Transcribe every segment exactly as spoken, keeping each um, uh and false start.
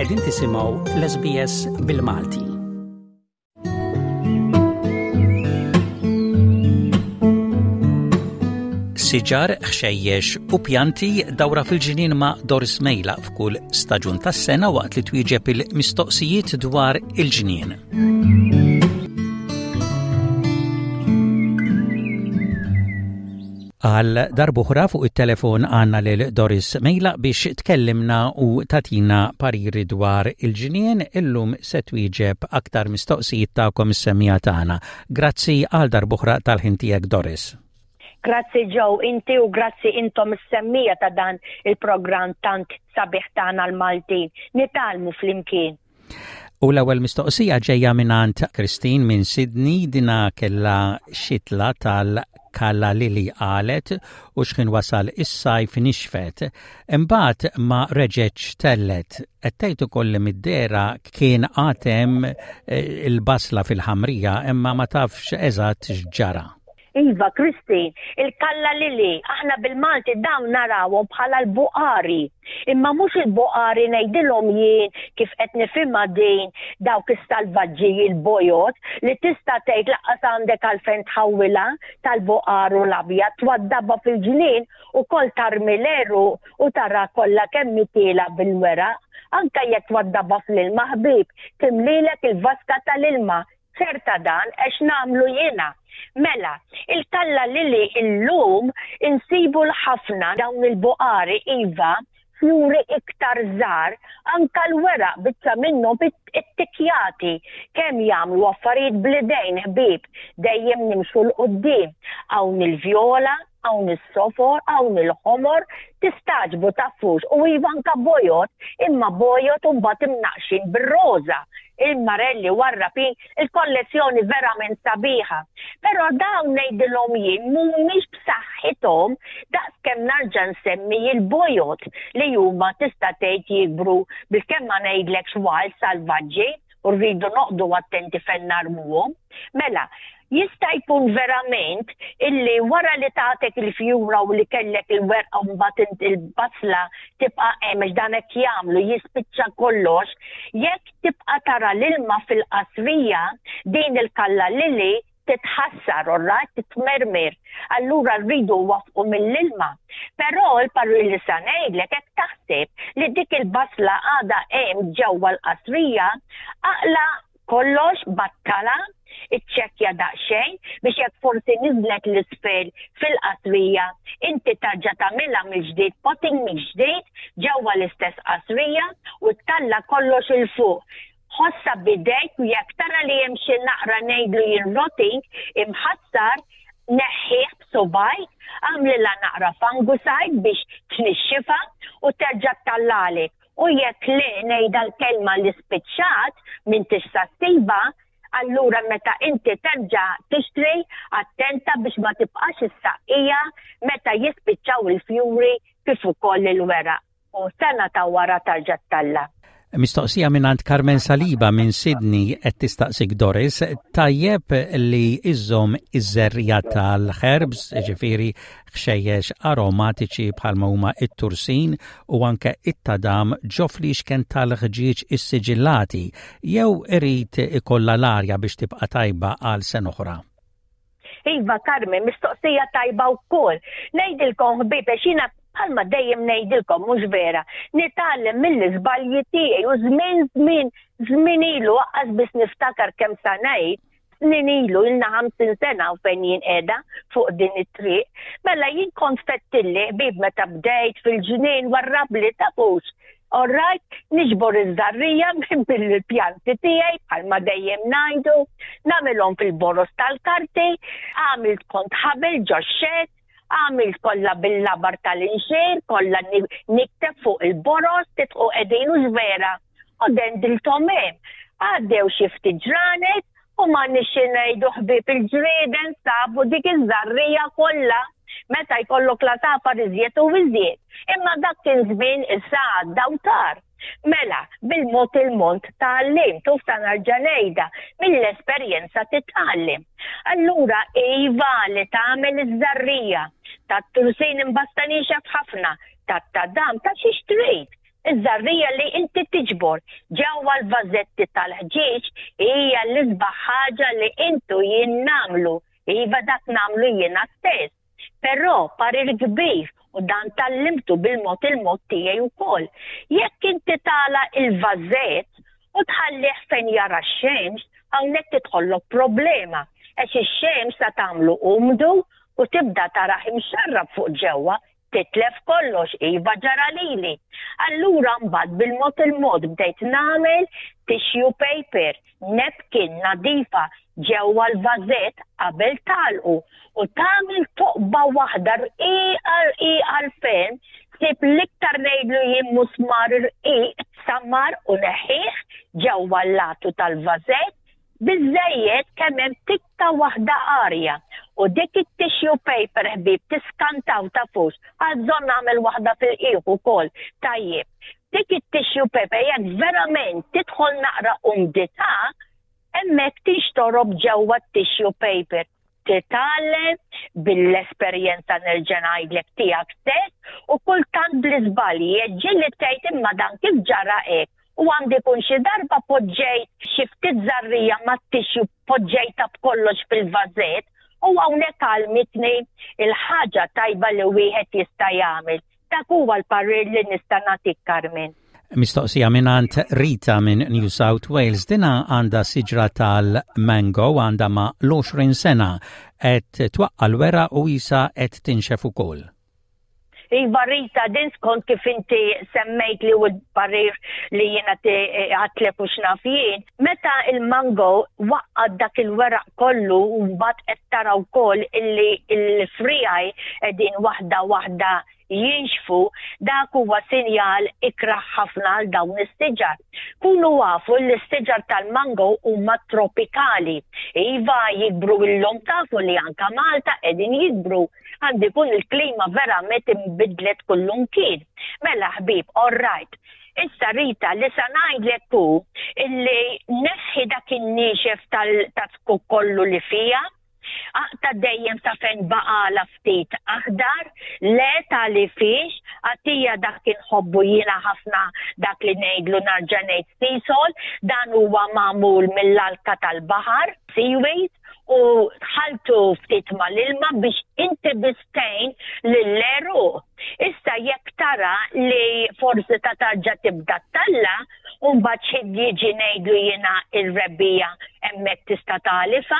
Qegħdin tisimgħu l-S B S bil-Malti. Siġar, ħxejjex u pjanti, dawra fil-ġinien ma' Doris Mejla f'kull staġun tas-sena waqt li twieġeb il-mistoqsijiet dwar il-ġnien. Għal darb'oħra fuq it-telefon għandna lil Doris Mejla biex tkellimna u tagħtina pariri dwar il-ġnien. Illum se twieġeb aktar mistoqsijiet tagħkom is-semmiegħa tagħna. Grazzi għal darb'oħra tal-ħin tiegħek, Doris. Grazzi Joe, inti u grazzi intom is-semmiegħa ta' dan il-programm tant sabiħ tagħna l-Maltin. Nitgħallmu flimkien. U l-ewwel mistoqsija ġejja mingħand Christine minn Sydney. Dina kella xitla tal-calla lily, qalet, u xħin wasal is-sajf nixfet. Imbagħad ma reġgħetx telgħet. Qed tgħid ukoll li mid-dehra kien għad hemm eh, il-basla fil-ħamrija, imma ma tafx eżatt x'ġara. Iva, Christine, il-calla lily, aħna bil-Malti dawn narawhom bħala l-buqari. Imma mhux il-buqari ngħidilhom jien kif qed nifhimha din, dawk is-salvaġġi il-bojod li tista' tgħid lanqas għandek għalfejn tħawwilha tal-buqar u l-abjad, twaddabha fil-ġnien u kol tarmi l-għeruq u tara kollha kemm tielgħa bil-weraq. Anka jekk twaddabha fl-ilma, ħbib, timlilek il-vaska tal-ilma. Ċerta dan għax nagħmlu jiena. Mela, il-calla lily illum insibu l-ħafna dawn il-buqari, iva, fjuri iktar żgħar, anka l-weraq biċċa minnhom ittikjati. Kemm jagħmlu affarijiet bl-idejn, ħbib, dejjem nimxu 'l quddiem. Hawn il-vjola, hawn is-sofor, hawn il-ħomor, tistagħġbu tafux, u iva, anka bojod, imma bojod u mbagħad imnaqxin bir-roża, il-marelli warrapin, il-kollezzjoni verament sabiħa. Però dawn ngħidilhom jien mhumiex b'saħħithom daqs kemm narġa' nsemmi il-bojod li huma tista' tgħid jikbru bil-kemm, ma ngħidlekx wild, salvaġġi, u rridu noqogħdu attenti fejn narmuhom. Mela, jista' jkun verament illi wara li tatek il-fjura u li kellek il-werqa, mbagħad il-basla tibqa' hemm, għax dan hekk jagħmlu, jispiċċa kollox, jekk tibqa' tara l-ilma fil-qasrija, din il-calla lily titħassar, orrajt, titmermer. Allura rridu nwaqqfu mill-ilma. Però l-parir li sa ngħidlek, hekk taħseb li dik il-basla għadha hemm ġewwa l-qasrija, aqla' kollox, battala, iċċekkja daqsxejn biex jekk forsi niżlet 'l isfel fil-qasrija, inti terġa' tagħmilha mill-ġdid, potting mill-ġdid ġewwa l-istess qasrija u ttella' kollox 'il fuq. Ħossha b'idejk u jekk tara li hemm xi naqra, ngħidlu jien, rotting, imħassar, neħħih b'subgħajk, għamlilha naqra fungicide biex tnixxifa u terġa' ttellagħlek. U jekk le, ngħidha l-kelma, li spiċċat minn tista' ssiba, allura meta inti terġa' tixtri, attenta biex ma tibqax issaqqiha meta jispiċċaw il-fjuri kif ukoll il-weraq. U sena ta' wara terġa' ttella'. Mistoqsija minn Carmen Saliba minn Sydney. Qed tistaqsik, Doris, tajjeb li iżżomm iż-żerriegħa tal-herbs, ġifieri ħxejjex aromatiċi bħalma huma it-tursin u anke it-tadam, ġo fliexken tal-ħġieġ issiġillati, jew irid ikollha l-arja biex tibqa' tajba għal sena oħra? Iva, Carmen, mistoqsija tajba wkoll. Ngħidilkom, ħbieb, jiena bħalma dejjem ngħidilkom, mhux vera, nitgħallem mill-iżbalji tiegħi u żmien żmien żmien ilu, lanqas biss niftakar kemm sa ngħid snin ilu, ilna ħamsin sena u fejn jien qiegħda fuq din it-triq. Mela jien kont fettilli, ħbib, meta bdejt fil-ġnien warrabli, tafux. Alright, niġbor iż-żerriegħa minn bil-pjanti tiegħi, bħalma dejjem ngħidu, nagħmilhom fil-boros tal-karti, għamilt kont ħabel ġo shed, għamilt kollha bil-labar tal-inxir, kollha nikteb fuq il-boros, titqu qegħdin u vera. U dendilthom hemm. Għaddew xi ftit ġranet u ma nixi ngħidu, ħbieb, il-ġrieden sabu dik iż-żerriegħa kollha, meta jkollok l-għasafar iżjed u iżjed. Imma dak kien żmien, issa għadda u tar. Mela, bil-mod il-mod tgħallimt, u sa nerġa' ngħidha, mill-esperjenza titgħallem. Allura iva, li tagħmel iż-żerriegħa tat-tursin imbasta nixef ħafna, tat-tadam, ta' xi trid. Iż-żerriegħa li inti tiġbor ġewwa l-vażetti tal-ħġieġ hija l-isbaħ ħaġa li intu jien nagħmlu. Iva, dak nagħmlu jiena stess. Però parir kbir, u dan tgħallimtu bil-mod il-mod tiegħi wkoll. Jekk inti tagħlaq il-vażett u tħallih fejn jara x-xemx, hawnhekk tidħollok problema. Għax ix-xemx ta' tagħmlu umdu u tibda taraħ imxarrab fuq ġewwa, titlef kollox, iva, ġara lili. Allura mbagħad bil-mod il-mod bdejt nagħmel tissue paper, napkin nadifa ġewwa l-vażett qabel tagħlqu u tagħmel toqba waħda rqiqa rqiqa l-ferm, sib l-iktar ngħidlu jien musmar rqiq, sammar u neħħih ġewwa l-latu tal-vażett biżejjed kemm hemm tikka waħda arja. U dik it-tissue paper, ħbib, tiskantaw tafux, għażżon nagħmel waħda fil-qiegħ ukoll. Tajjeb. Dik it-tissue paper, jekk verament tidħol naqra umdità, hemmhekk tixtorob ġewwa t-tissue paper. Titgħallem bil-esperjenza, nerġa' ngħidlek, tiegħek stess u kultant bl-iżbalji. Ġieli tgħid, "Imma dan kif ġara hekk?" U għandi kun xi darba poġġejt xi ftit żerriegħa mat-tissue, poġġejta b'kollox fil-vażett, u hawnhekk għallmitni il-ħaġa tajba li wieħed jista' jagħmel. Dak huwa l-parir li nista' nagħtik, Carmen. Mistoqsija mingħand Rita minn New South Wales. Dina għandha siġra tal-mango, għandha ma l-għoxrin sena, qed twaqqa l-weraq u issa qed tinxef ukoll. Iva Rita, din skont kif inti semmejt li u l-parir li jiena għedtlek u x'naf jien, meta il-mango waqqad dak il-weraq kollu u mbagħad qed tara wkoll illi il-friegħi qegħdin waħda waħda jinxfu, dak huwa sinjal ikraħ ħafna għal dawn is-siġar. Kunu afu li s-siġar tal-mango huma tropikali. Iva, jikbru illum, tafu li anka Malta qegħdin jikbru, għandi kun il-klima verament imbidlet kullimkien. Mela ħbib, all right. Issa Rita, li sa ngħidlek hu illi neħħi dak in-niexef tal-zkuk kollu li fija, aqta' dejjem sa fejn baqala ftit aħdar, le tali fiex, għatija dak inħobbu jiena ħafna, dak li ngħidlu, nerġa' ngħid, Seasol, dan huwa magħmul mill-alka tal-baħar, seaweed, u ħaltu ftit mal-ilma biex inti bistejn lill-għeruq. Issa jekk tara li forsi ta' tarġa tibda talla, Umbat xid jiġi, ngħidlu jiena, il-rebbiegħa, hemmhekk tista' tagħlifa,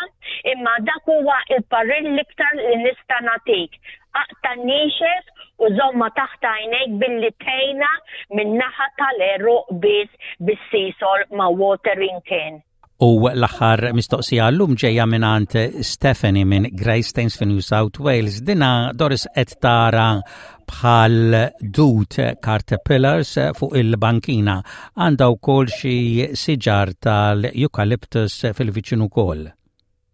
imma dak huwa il-parir l-iktar li nista' nagħtik. Aqta' niexef u żomma taħt għajnejk billi tgħinha min-naħa tal-għeruq biss bis-Seasol ma' watering can. U l-aħħar mistoqsija llum ġejja mingħand Stephanie minn Greystanes fi New South Wales. Dina, Doris, qed tara bħal dud, caterpillars, fuq il-bankina. Għandha wkoll xi siġar tal-eucalyptus fil-viċin ukoll.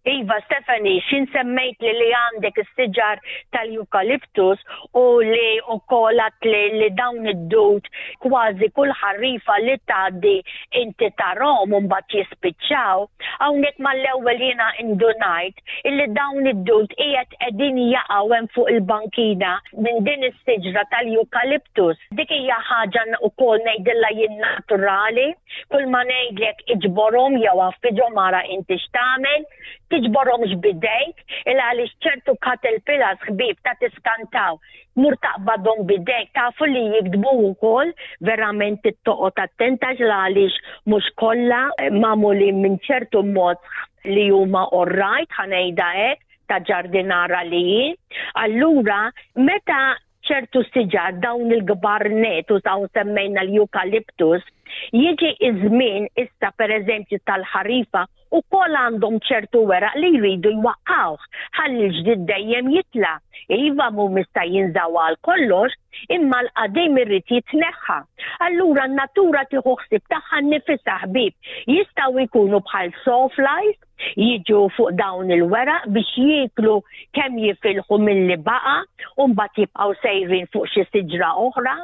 Iva, Stephanie, xin semmejt li li għandek is-siġar tal-eucalyptus u li u kolat li, li dawn id-dud kważi kull ħarifa li tgħaddi inti tarahom u mbagħad jispiċċaw. Hawnhekk mal-ewwel jiena indunajt illi dawn id-dud qiegħed qegħdin jaqgħu hemm fuq il-bankina minn din is-siġra tal-eucalyptus. Dik hija ħaġa wkoll, ngħidilha jien, naturali, kull ma ngħidlek iġborhom jew għaffiġhom, ara inti x'tagħmel, tiġborhomx bidejk, il għaliex ċertu caterpillars, ħbib, ta' tiskantaw. Mur taqbadhom bidejk, tafu li jigdmu wkoll, verament toqgħod attenta għaliex mhux kollha magħmulin minn ċertu mod li huma alright, ħa ngħidha hekk, ta' ġardinara li jien. Allura, meta ċertu siġar, dawn il-kbar net u taw semmejna l-eucalyptus, jiġi iż-żmien issa per eżempju tal-ħarifa u kol għandhom ċertu weraq li jridu jwaqqawh ħalli l-ġdid dejjem jitla'. Iva, mu mista jinżaw għal kollox, imma l-qadim irrid jitneħħa. Allura n-natura tieħu ħsieb tagħha nnifisha, ħbib. Jistgħu jkunu bħal sawflies, jiġu fuq dawn il-weraq biex jieklu kemm jifilħu mill-li baqa u mbagħad jibqgħu sejrin fuq xi siġra oħra.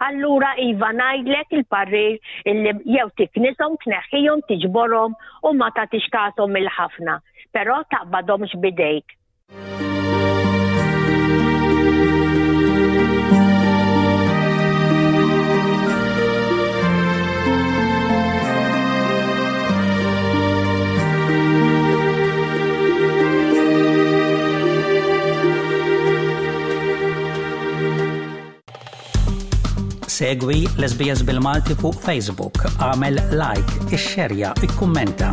Allura iva, ngħidlek il-parir illi jew tiknishom, tneħħihom, tiġborhom u ma tagħtix kashom il-ħafna, però taqbadhomx bidejk. Segwi l-S B S bil-Malti fuq Facebook, għamel like, ixxerja, ikkummenta.